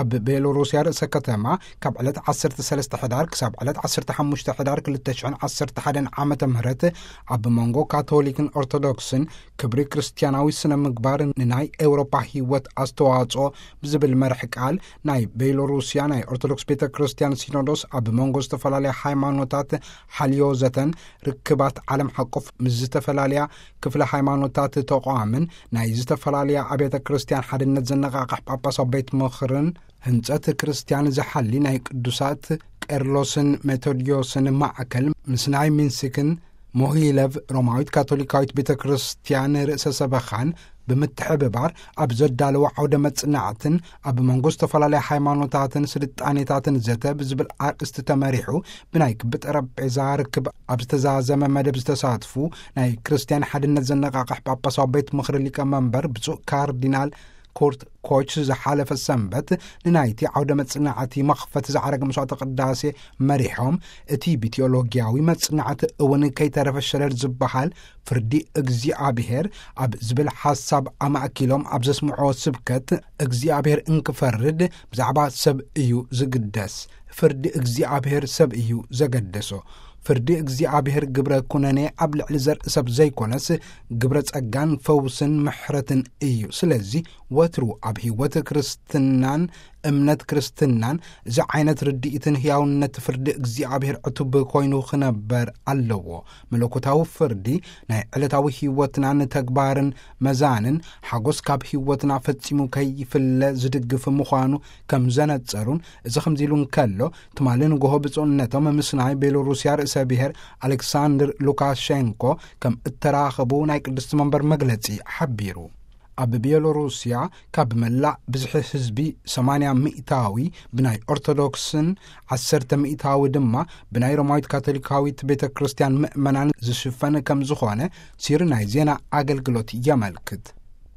ኣብ ቤሎሩስያ ርእሰ ከተማ ካብ ዕለት ዓሰርተ ሰለስተ ሕዳር ክሳብ ዕለት ዓሰርተ ሓሙሽተ ሕዳር ክልተ ሽሕን ዓሰርተ ሓደን ዓመተ ምህረት ኣብ መንጎ ካቶሊክን ኦርቶዶክስን ክብሪ ክርስትያናዊ ስነ ምግባር ንናይ ኤውሮፓ ህይወት ኣስተዋጽኦ ብዝብል መርሕ ቃል ናይ ቤሎሩስያ ናይ ኦርቶዶክስ ቤተ ክርስትያን ሲኖዶስ ኣብ መንጎ ዝተፈላለያ ሃይማኖታት ሓልዮ ዘተን ርክባት ዓለም ሓቆፍ ምስ ዝተፈላለያ ክፍለ ሃይማኖታት ተቋምን ናይ ዝተፈላለያ ኣብያተ ክርስትያን ሓድነት ዘነቓቕሕ ጳጳሳዊ ቤት ምኽርን ህንጸት ክርስትያን ዝሓሊ ናይ ቅዱሳት ቄርሎስን ሜቶድዮስን ማዕከል ምስ ናይ ሚንስክን ሞሂለቭ ሮማዊት ካቶሊካዊት ቤተ ክርስትያን ርእሰ ሰበኻን ብምትሕብባር ኣብ ዘዳለዎ ዓውደ መጽናዕትን ኣብ መንጎ ዝተፈላለያ ሃይማኖታትን ስልጣኔታትን ዘተ ብዝብል ኣርእስቲ ተመሪሑ ብናይ ክቢ ጠረጴዛ ርክብ ኣብ ዝተዛዘመ መደብ ዝተሳትፉ ናይ ክርስትያን ሓድነት ዘነቓቕሕ ጳጳሳዊ ቤት ምኽሪ ሊቀመንበር ብፁዕ ካርዲናል ኮርት ኮች ዝሓለፈ ሰንበት ንናይቲ ዓውደ መጽናዕቲ መኽፈት ዝዓረገ መስዋዕተ ቅዳሴ መሪሖም፣ እቲ ብቴዎሎጊያዊ መጽናዕቲ እውን ከይተረፈ ሸለል ዝበሃል ፍርዲ እግዚኣብሔር ኣብ ዝብል ሓሳብ ኣማእኪሎም ኣብ ዘስምዖ ስብከት፣ እግዚኣብሔር እንክፈርድ ብዛዕባ ሰብ እዩ ዝግደስ፣ ፍርዲ እግዚኣብሔር ሰብ እዩ ዘገደሶ። ፍርዲ እግዚኣብሔር ግብረ ኩነኔ ኣብ ልዕሊ ዘርኢ ሰብ ዘይኮነስ፣ ግብረ ጸጋን ፈውስን ምሕረትን እዩ። ስለዚ ወትሩ ኣብ ህይወት ክርስትናን እምነት ክርስትናን እዚ ዓይነት ርድኢትን ህያውነት ፍርዲ እግዚኣብሔር ዕቱብ ኮይኑ ክነበር ኣለዎ። መለኮታዊ ፍርዲ ናይ ዕለታዊ ህይወትናን ተግባርን መዛንን ሓጎስ ካብ ህይወትና ፈጺሙ ከይፍለ ዝድግፍ ምዃኑ ከም ዘነጸሩን፣ እዚ ከምዚ ኢሉ እንከሎ፣ ትማሊ ንግሆ ብፁዕነቶም ምስ ናይ ቤሎሩስያ ርእሰ ብሔር ኣሌክሳንድር ሉካሼንኮ ከም እተራኸቡ ናይ ቅድስቲ መንበር መግለጺ ሓቢሩ። ኣብ ቤሎሩስያ ካብ መላእ ብዝሒ ህዝቢ ሰማንያ ሚእታዊ ብናይ ኦርቶዶክስን ዓሰርተ ሚእታዊ ድማ ብናይ ሮማዊት ካቶሊካዊት ቤተ ክርስቲያን ምእመናን ዝሽፈን ከም ዝኾነ ሲሪ ናይ ዜና ኣገልግሎት የመልክት።